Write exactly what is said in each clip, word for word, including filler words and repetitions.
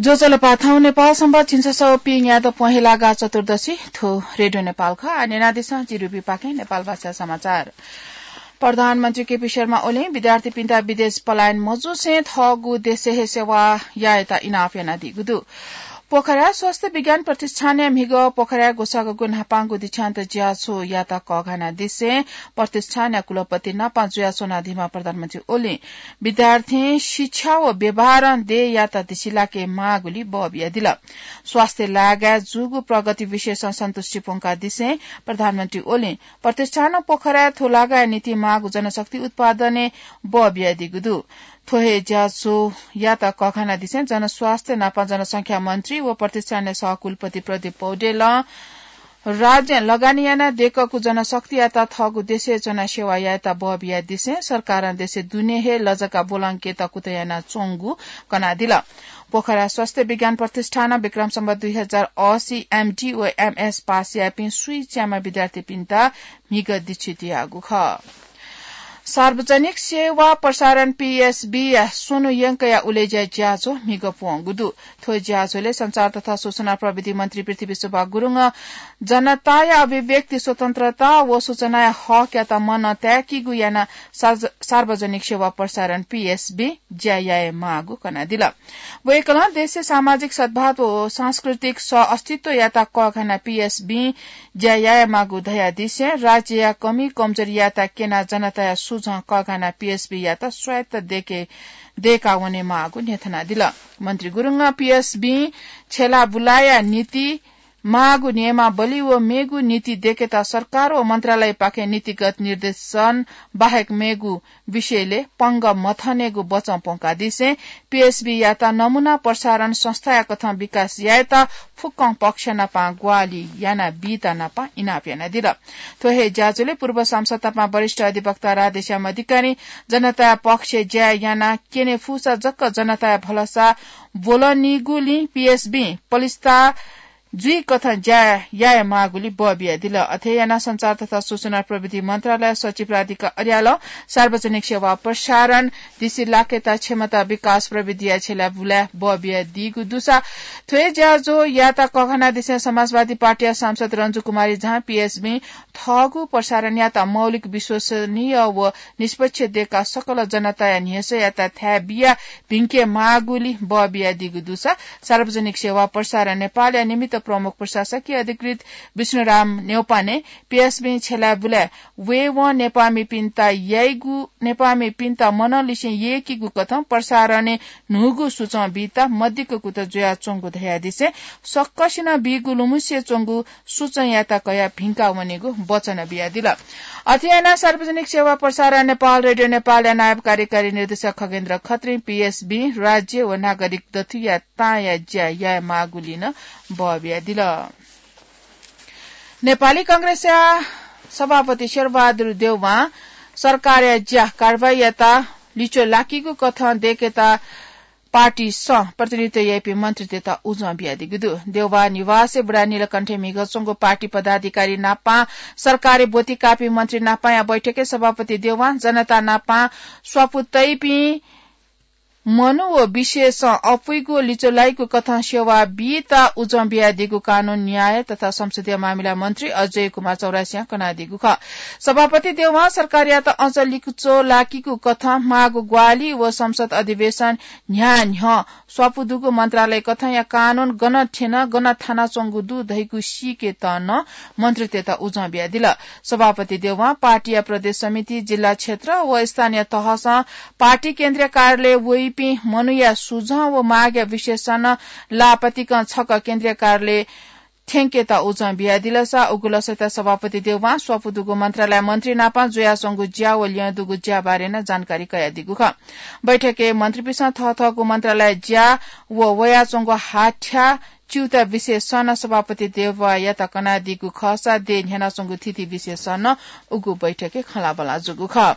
ज्वजलपा, थौं नेपाल संवत् झिंछसः व पीन्यादँ प्वहेलागा चतुर्दशी। थ्व रेडियो नेपाल खः। आः न्यनादिसँ, जि रुबी पाखें नेपाल भाषा समाचार। प्रधानमन्त्री केपी शर्मा ओलीं विद्यार्थीपिन्त विदेश पलायन मजुसें थःगु देशय् हे सेवा यायेत इनाप यानादीगु दु। पोखराया स्वास्थ्य विज्ञान प्रतिष्ठानया म्हिगः पोखराया ग्वसाःगु न्हापांगु दीक्षान्त ज्याझ्वःयात कःघानादिसें प्रतिष्ठानया कुलपति नाप जुयाच्वनादीम्ह प्रधानमन्त्री ओलीं विद्यार्थीं शिक्षा व व्यवहारं देय्‌यात दिसिलाके माःगुलिं बः बियादिल। स्वास्थ्य लागाय् जूगु प्रगति विषयसं सन्तुष्टि प्वंकादिसें प्रधानमन्त्री ओलीं प्रतिष्ठानं पोखराय् थ्व लागाया निंतिं माःगु जनशक्ति उत्पादनय् बः बियादीगु दु। थ्व हे ज्याझ्वःयात कःघानादिसें जनस्वास्थ्य नाप जनसंख्या मन्त्री व प्रतिष्ठानया सहकुलपति प्रदीप पौडेलं राज्यं लगानी यानाः दय्‌कूगु जनशक्तियात थःगु देशय् च्वनाः सेवा यायेत बः बियादिसें सरकारं देशय् दुने हे लजगाः ब्वलंकेत कुतः यानाच्वंगु कनादिल। पोखरा स्वास्थ्य विज्ञान प्रतिष्ठानं विक्रम सम्वत दुई हजार असी एमडी व एमएस पास याःपिं स्वीच्याम्ह विद्यार्थीपिन्त म्हिगः दीक्षित याःगु खः। सार्वजनिक सेवा प्रसारण पीएसबी या स्वन्हु यंकया उलेज्या ज्याझ्वः म्हिगः प्वंगु दु। थ्व ज्याझ्वलय् सञ्चार तथा सूचना प्रविधि मन्त्री पृथ्वी सुब्बा गुरुङं जनताया अभिव्यक्ति स्वतन्त्रता व सूचनाया हकयात मनं ताय्‌कीगु यानाः सार्वज-, सार्वजनिक सेवा प्रसारण पीएसबी ज्या याये माःगु कनादिल। वय्‌कलं देशय् सामाजिक सद्भाव व सांस्कृतिक सह अस्तित्वयात कःघानाः पीएसबी ज्या याये माःगु धयादिसें राज्यया कमी कमजोरीयात क्यनाः जनताया सुझं कःघानाः पीएसबीयात स्वायत्त दय्‌के, दय्‌का वने माःगु न्ह्यथनादिल। मन्त्री गुरुङं पीएसबी छ्यला बुलाया निंतिं माःगु नियमावली व मेगु नीति दय्‌केत सरकार व मन्त्रालयपाखें नीतिगत निर्देशन बाहेक मेगु विषयलय् पंगः मथनेगु बचं प्वंकादिसें पीएसबीयात नमूना प्रसारण संस्थाया कथं विकास यायेत फुक्कं पक्ष नाप ग्वाहालि यानाबीत नाप इनाप यानादिल। थ्व हे ज्याझ्वलय् पूर्व सांसद नाप वरिष्ठ अधिवक्ता राधेश्याम अधिकारीं जनताया पक्षय् ज्या यानाः क्यने फुसा जक जनताया भलसा ब्वलनीगुलिं पीएसबीं पलिस्था जुइकथं ज्या याये माःगुलिं बः बियादिल। अथे यानाः सञ्चार तथा सूचना प्रविधि मन्त्रालय सचिव राधिका अर्यालं सार्वजनिक सेवा प्रसारण दिसिलाकेत क्षमता विकास प्रविधिया छ्यला बुलाय् बः बियादीगु दुसा थ्व हे ज्याझ्वःयात कःघानादिसें समाजवादी पार्टीया सांसद रन्जु कुमारी झां पीएसबीं थःगु प्रसारणयात मौलिक, विश्वसनीय व निष्पक्ष दय्‌काः सकल जनताया न्ह्यसःयात थाय् बियाः भिंके माःगुलिं बः बियादीगु दुसा सार्वजनिक सेवा प्रसारण नेपालया निमित्त प्रमुख प्रशासकीय अधिकृत विष्णुराम न्यौपाने पीएसबीं छ्यला बुलाय् वयेवं नेपाःमिपिन्त याइगु, नेपाःमिपिन्त मनंलिसें यय्‌कीगु कथं प्रसारणय् न्हूगु सुचं बीत मदिक्क कुतः जुयाच्वंगु धयादिसें सकसिनं बीगु लुमंसे च्वंगु सुचंयात कयाः भिंका वनेगु वचन बियादिल। अथे यानाः सार्वजनिक सेवा प्रसारण नेपाल, रेडियो नेपालया नायब कार्यकारी निर्देशक खगेन्द्र खत्रीं पीएसबीं राज्य व नागरिक दथुइया ताँया ज्या याये माःगुलिं नं बः बियादिल। नेपाली कांग्रेसया सभापति शेरबहादुर देउवां सरकारया ज्या कारवाहीयात लिच्वः लाकीगु कथं दय्‌केत पार्टीसं प्रतिनिधित्व याइपिं मन्त्रीतय्‌त उजं बियादीगु दु। देउवा निवासय् बुढानीलकण्ठय् म्हिगः च्वंगु पार्टी पदाधिकारी नापं सरकारय् ब्वति काःपिं मन्त्री नापंया बैठकय् सभापति देउवां जनता नापं स्वापू तइपिं मनू व विषयसं अप्वइगु लिच्वः लाइगु कथं सेवा बीत उजं बियादीगु कानून, न्याय तथा संसदीय मामिला मन्त्री अजय कुमार चौरसियां कनादीगु खः। सभापति देउवां सरकारयात अझ लिच्वः लाकीगु कथं माःगु ग्वाहालि व संसद अधिवेशन न्ह्याः न्ह्यः स्वापू दुगु मन्त्रालय कथंया कानून गन थ्यन, गन थानाच्वंगु दु धइगु सीकेत नं मन्त्रीतय्‌त उजं बियादिल। सभापति देउवां पार्टीया प्रदेश समिति, जिल्ला क्षेत्र व स्थानीय तहसं पार्टी केन्द्रीय कार्यालय वइपिं मनूया सुझं व मागया विषयसं नं लापतिकं छकः केन्द्रीय कार्यालय थ्यंकेत उजं बियादिलसा उगु लसय्‌त सभापति देउवां स्वापू दुगु मन्त्रालय मन्त्री नापं जुयाच्वंगु ज्या व ल्यं दुगु ज्या बारे नं जानकारी कयादीगु खः। बैठकय् मन्त्रीपिन्सं थःथःगु मन्त्रालय ज्या व वयाच्वंगु हाथ्या च्यूता विषयसं नं सभापति देउवायात कनादीगु खःसा देय् न्ह्यानाच्वंगु थीथी विषयसं नं उगु बैठकय् खँल्हाबल्हा जूगु खः।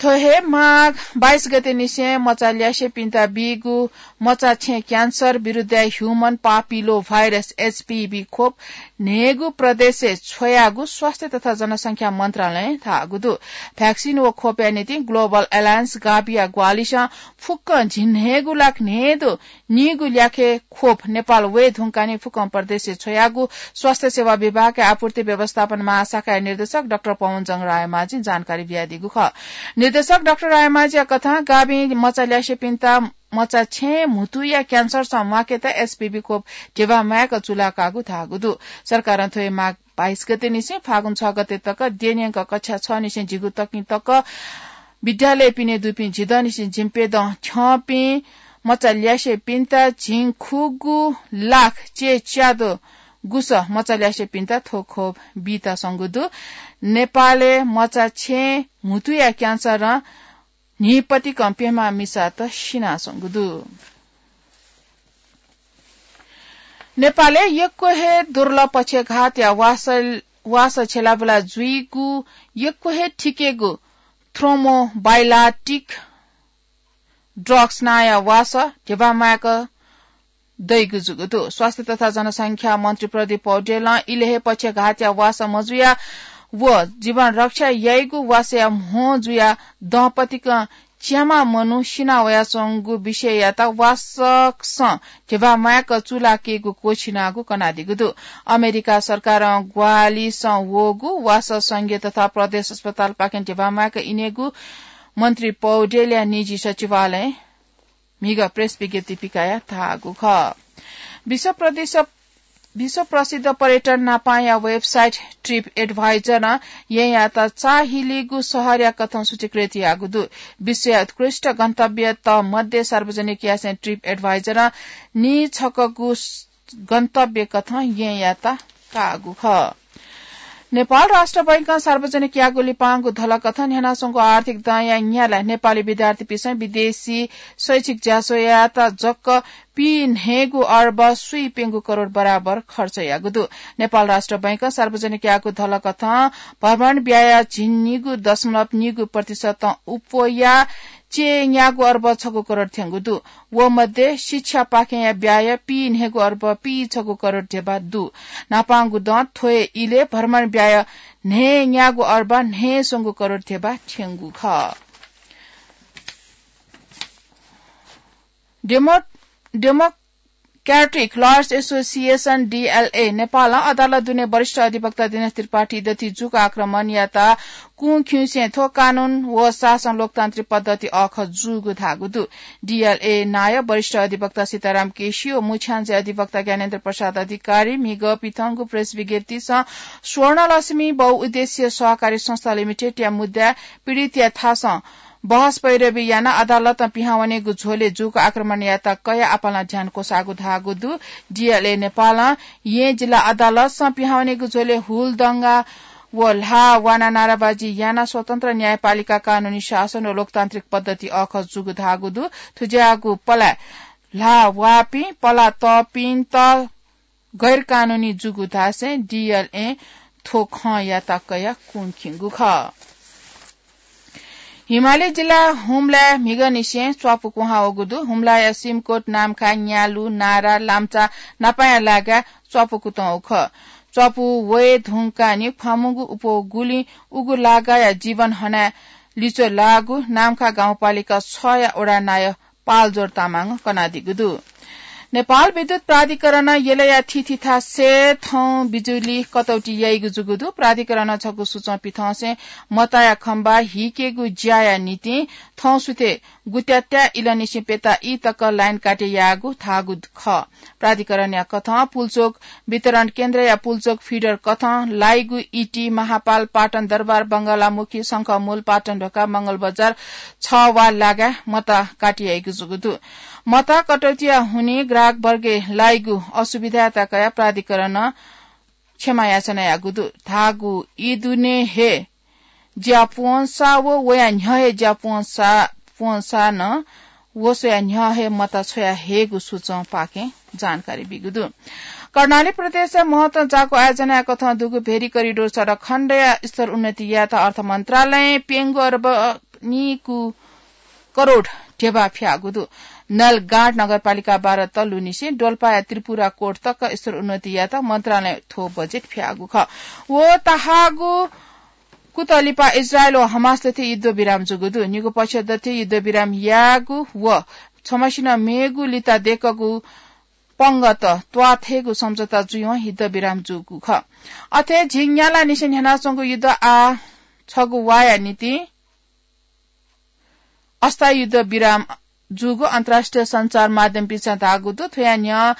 थ्व हे माघ बाइस गते निसें मचा ल्यासेपिन्त बीगु मचा छेँ क्यान्सर विरुद्ध ह्युमन पापिलो भाइरस, एचपीभी, खोप न्हय्गू प्रदेशय् छ्वयागु स्वास्थ्य तथा जनसंख्या मन्त्रालयं धाःगु दु। भ्याक्सिन व खोपया निंतिं ग्लोबल एलायन्स गाभिया ग्वाहालिसं फुक्कं झिंन्हय्गू लाख न्हय्दँ नीगू ल्याखे खोप नेपाल वये धुंकाः निं फुक्कं प्रदेशय् छ्वयागु स्वास्थ्य सेवा विभागया आपूर्ति व्यवस्थापन महाशाखाया निर्देशक डाक्टर पवनजंग रायमाझीं जानकारी बियादीगु खः। निर्देशक डाक्टर रायमाझीया कथं गाभिं मचा ल्यासेपिन्त मचा छेँ म्हुतुया क्यान्सरसं म्वाकेत एचपीभी खोप ध्यबा माय्क चूलाकागु धाःगु दु। सरकारं थ्व हे माघ बाइस गते निसें फागुन छ गते तक देन्यंक कक्षा छ निसें झिगू तकिं तक विद्यालयपिनि दुपिं झिदँ निसें झिंप्यदँ थ्यंपिं मचा ल्यासेपिन्त झिंखुगू लाख चय्च्यादँ गुसः मचा ल्यासेपिन्त थ्व खोप बीत संगु दु। नेपालय् मचा छेँ म्हुतुया क्यान्सरं न्हिपतिकं प्यम्ह मिसात सिनासंगु दु। नेपालय् यक्व हे दुर्लभ पक्षघातया वास, वास छ्यलाबुला जुइगु यक्व हे थिकेगु थ्रोम्बोलाइटिक ड्रग्स नांया वास ध्यबा माय्क दइगु जूगु दु। स्वास्थ्य तथा जनसंख्या मन्त्री प्रदीप पौडेलं इलय् हे पक्षघातया वास मजुया व जीवन रक्षा याइगु वासया म्हो जुया दँपतिकं च्याम्ह मनू सिना वयाच्वंगु विषययात वासकसं ध्यबा माय्क चूलाकेगु क्वःछिनागु कनादीगु दु। अमेरिका सरकारं ग्वाहालिसं वःगु वास संघीय तथा प्रदेश अस्पतालपाखें ध्यबा माय्क इनेगु मन्त्री पौडेलया निजी सचिवालयं म्हिगः प्रेस विज्ञप्ति पिकयाः धाःगु खः। विश्व प्रदेश, विश्व प्रसिद्ध पर्यटन न्हापांया वेबसाइट ट्रिप एडभाइजरं येँयात चाःहिलीगु शहरया कथं सूचीकृत याःगु दु। विश्वया उत्कृष्ट गन्तव्यत मध्ये सार्वजनिक यासें ट्रिप एडभाइजरं नीछकःगु गन्तव्य कथं येँयात काःगु खः। नेपाल राष्ट्र बैंकं सार्वजनिक याःगु लिपांगु धलकथं न्ह्यानाच्वंगु आर्थिक दँया न्ह्यालय् नेपाली विद्यार्थीपिसं विदेशी शैक्षिक ज्याझ्वःयात जक पीन्हय्गू अर्ब स्वीप्यंगू करोड बराबर खर्च याःगु दु। नेपाल राष्ट्र बैंकं सार्वजनिक याःगु धलकथं भ्रमण ब्याय झिंनिगू दशमलव निगू प्रतिशतं अप्वया चय्न्यागू अर्ब छगू करोड थ्यंगु दु। व मध्ये शिक्षापाखेंया ब्याय पीन्हय्गू अर्ब पीछगू करोड ध्यबा दु। न्हापांगु दँ थ्व हे इलय् भ्रमण ब्याय न्हय्न्यागू अर्ब न्हय्स्वंगू करोड ध्यबा थ्यंगु खः। Demo, democratic liars association, DLA, नेपालं अदालत दुने वरिष्ठ अधिवक्ता दिनेश त्रिपाठी दथुइ जूगु आक्रमणयात कुंखिउँसें थ्व कानून व शासन लोकतान्त्रिक पद्धति अःखः जूगु धाःगु दु। डीएलए नायः वरिष्ठ अधिवक्ता सीताराम केसी व मुछ्याञ्जे अधिवक्ता ज्ञानेन्द्र प्रसाद अधिकारी म्हिगः पिथंगु प्रेस विज्ञप्तिसं स्वर्णलक्ष्मी बहुउद्देश्य सहकारी संस्था लिमिटेडया मुद्दाय् पीडितया थासं बहस पैरवी यानाः अदालतं पिहां वनेगु झ्वलय् जूगु आक्रमणयात कयाः आपालं ध्यान क्वसाःगु धाःगु दु। डीएलए नेपालं येँ जिल्ला अदालतं पिहां वनेगु झ्वलय् हुलदंगा व ल्हाः वानाः नाराबाजी यानाः स्वतन्त्र न्यायपालिका, कानूनी शासन व लोकतान्त्रिक पद्धति अःखः जूगु धाःगु दु। थुज्याःगु पलाः ल्हाः वाःपिं पलाः तःपिन्त गैरकानूनी जूगु धासें डीएलएं थ्व खँयात कयाः कुंखिंगु खः। हिमाली जिल्ला हुम्लाय् म्हिगःनिसें च्वापु क्वहां वःगु दु। हुम्लाया सिमकोट, नाम्खा, न्यालु, नारा, लाम्चा नापांया लागाय् च्वापु कुतुं वःगु खः। च्वापु वये धुंकाः नि ख्वाःमूगु अप्वः गुलिं उगु लागाया जीवन हनाय् लिच्वः लाःगु नाम्खा गाउँपालिका छया वडा नायः पालजोर तामाङं कनादीगु दु। नेपाल विद्युत प्राधिकरणं यलया थीथी थासय् थौं बिजुली कटौती याइगु जूगु दु। प्राधिकरणं छगू सूचं पिथंसें मताया खम्बा हिकेगु ज्याया निंतिं थौं सुथय् गुत्यात्या इलंनिसें प्यता ई तक लाइन काटे याःगु धाःगु खः। प्राधिकरणया कथं पुल्चोक वितरण केन्द्रया पुल्चोक फिडर कथं लाइगु इटी, महापाल, पाटन दरबार, बंगलामुखी, शंखमूल, पाटन ढोका, मंगलबजार छ वा लागाय् मता काटे याइगु जूगु दु। मता कटौतीया हुनिं ग्राहकवर्गय् लाइगु असुविधायात कयाः प्राधिकरणं क्षमा याचना याःगु दु। धाःगु ई दुने हे ज्या प्वंसा व वया न्ह्यः हे ज्या प्वंसा, प्वंसा नं वसया न्ह्यः हे मता छ्वया हयेगु सूचंपाखें जानकारी बीगु दु। कर्णाली प्रदेशय् महत्वं जाकु आयोजनाया कथं दुगु भेरी करिडोर सडक खण्डया स्तर उन्नति यायेत अर्थ मन्त्रालयं प्यंगू अर्ब निकु करोड ढेबा फ्याःगु दु। नलगाँड नगरपालिका बाह्र तल्लुनिसें डोल्पाया त्रिपुरा कोट तक स्तर उन्नति यात मन्त्रालय थ्व बजेट फ्याःगु खः। व ताहागु कुतलिपा इजरायल व हमास दथि युद्ध विराम जूगु दु। निगु पक्ष दथि युद्ध विराम याःगु व छम्हसिनं मेगु लिता देकगु पंगत त्वाथेगु सम्झौता जुइवं युद्ध विराम जूगु खः। अथे झिंन्याला निसें न्ह्यानाच्वंगु युद्ध आ छगू वाया निंतिं अस्थायी युद्ध विराम जूगु अन्तर्राष्ट्रिय सञ्चार माध्यमपिन्सं धाःगु दु। थ्वया न्ह्यः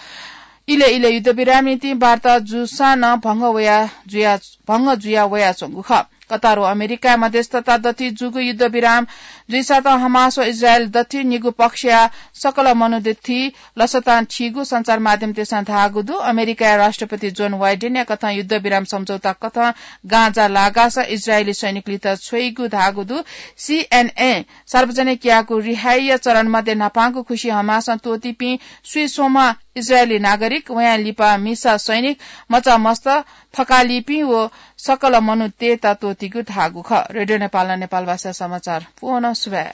इले इले युद्ध विराम निंतिं वार्ता जूसां नं भंग वया जुया भंग जुया वयाच्वंगु खः। कतार व अमेरिकाया मध्यस्थता दथि जूगु युद्ध विराम जुइसातं हमास व इजरायल दथि निगु पक्षया सकल मनू दथि लसतां थीगु सञ्चार माध्यमतय्सं धाःगु दु। अमेरिकाया राष्ट्रपति जोन वाइडेनया कथं युद्ध विराम सम्झौता कथं गाँजा लागास इजरायली सैनिकलित छ्वइगु धाःगु दु। सीएनए सार्वजनिक याःगु रिहाइया चरण मध्ये न्हापांगु खुसि हमासं त्वःतीपिं स्वीस्वम्ह इजरायली नागरिक, वयां लिपा मिसा सैनिक, मचा मस्त, थकालिपिं व सकल मनूतय्त त्वःतीगु धाःगु खः। रेडियो नेपालं नेपालभाषा समाचार पूवं सुभाय्।